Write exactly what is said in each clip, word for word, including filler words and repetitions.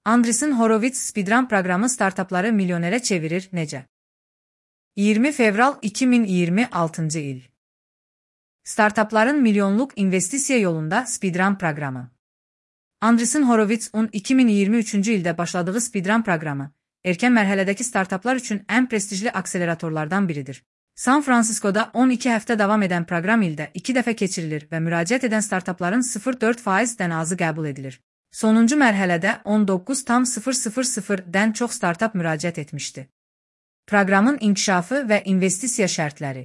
Andreessen Horowitz Speedrun proqramı startapları milyonerə çevirir necə? iyirmi fevral iki min iyirmi altıncı il. Startapların milyonluq investisiya yolunda Speedrun proqramı. Andreessen Horowitz'un iki min iyirmi üçüncü ildə başladığı Speedrun proqramı, erkən mərhələdəki startaplar üçün ən prestijli akseleratorlardan biridir. San Fransiskoda on iki həftə davam edən proqram ildə iki dəfə keçirilir və müraciət edən startapların sıfır nöqtə dörd faizdən azı qəbul edilir. Sonuncu mərhələdə on doqquz tam sıfır sıfır sıfırdən çox startap müraciət etmişdi. Proqramın inkişafı və investisiya şərtləri.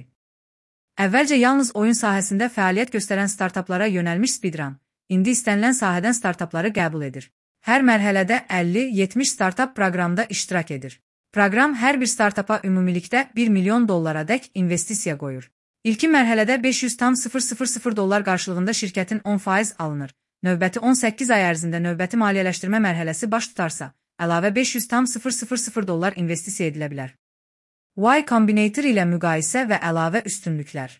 Əvvəlcə yalnız oyun sahəsində fəaliyyət göstərən startaplara yönəlmiş Speedrun, indi istənilən sahədən startapları qəbul edir. Hər mərhələdə əlli yetmiş startap proqramda iştirak edir. Proqram hər bir startapa ümumilikdə bir milyon dollara dək investisiya qoyur. İlkin mərhələdə beş yüz tam sıfır sıfır sıfır dollar qarşılığında şirkətin on faiz alınır. Növbəti on səkkiz ay ərzində növbəti maliyyələşdirmə mərhələsi baş tutarsa, əlavə beş yüz tam sıfır sıfır sıfır dollar investisiya edilə bilər. Y Combinator ilə müqayisə və əlavə üstünlüklər.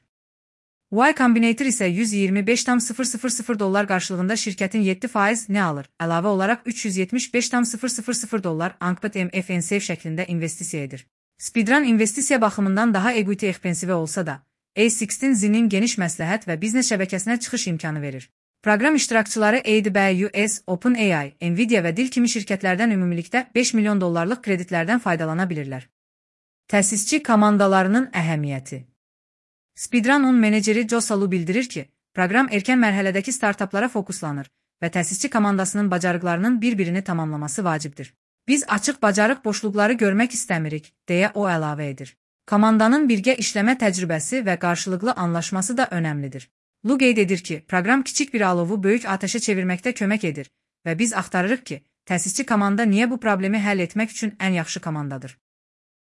Y Combinator isə yüz iyirmi beş tam sıfır sıfır sıfır dollar qarşılığında şirkətin yeddi faiz nə alır? Əlavə olaraq üç yüz yetmiş beş tam sıfır sıfır sıfır dollar Anqbet M F N S şəklində investisiya edir. Speedrun investisiya baxımından daha equity expensive olsa da, A on altı Z-nin geniş məsləhət və biznes şəbəkəsinə çıxış imkanı verir. Proqram iştirakçıları A W S, OpenAI, Nvidia və Dil kimi şirkətlərdən ümumilikdə beş milyon dollarlıq kreditlərdən faydalana bilirlər. Təsisçi komandalarının əhəmiyyəti. Speedrun'un meneceri Joe Salu bildirir ki, proqram erkən mərhələdəki startaplara fokuslanır və təsisçi komandasının bacarıqlarının bir-birini tamamlaması vacibdir. Biz açıq bacarıq boşluqları görmək istəmirik, deyə o əlavə edir. Komandanın birgə işləmə təcrübəsi və qarşılıqlı anlaşması da önəmlidir. Lu qeyd edir ki, proqram kiçik bir alovu böyük atəşə çevirməkdə kömək edir və biz axtarırıq ki, təsisçi komanda niyə bu problemi həll etmək üçün ən yaxşı komandadır.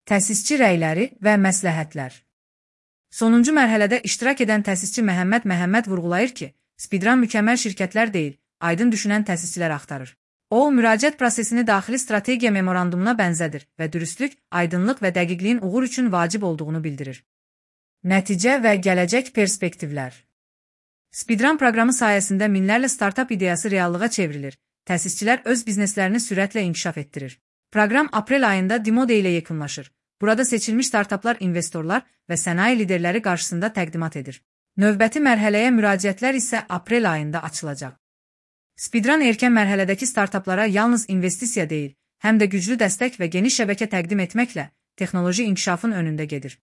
Təsisçi rəyləri və məsləhətlər. Sonuncu mərhələdə iştirak edən təsisçi Məhəmməd Məhəmməd vurğulayır ki, Speedrun mükəmməl şirkətlər deyil, aydın düşünən təsisçilər axtarır. O, müraciət prosesini daxili strategiya memorandumuna bənzədir və dürüstlük, aydınlıq və dəqiqliyin uğur üçün vacib olduğunu bildirir. Nəticə və gələcək perspektivlər. Speedrun proqramı sayəsində minlərlə startap ideyası reallığa çevrilir, təsisçilər öz bizneslərini sürətlə inkişaf etdirir. Proqram aprel ayında Dimode ilə yekunlaşır. Burada seçilmiş startaplar investorlar və sənaye liderləri qarşısında təqdimat edir. Növbəti mərhələyə müraciətlər isə aprel ayında açılacaq. Speedrun erkən mərhələdəki startaplara yalnız investisiya deyil, həm də güclü dəstək və geniş şəbəkə təqdim etməklə texnoloji inkişafın önündə gedir.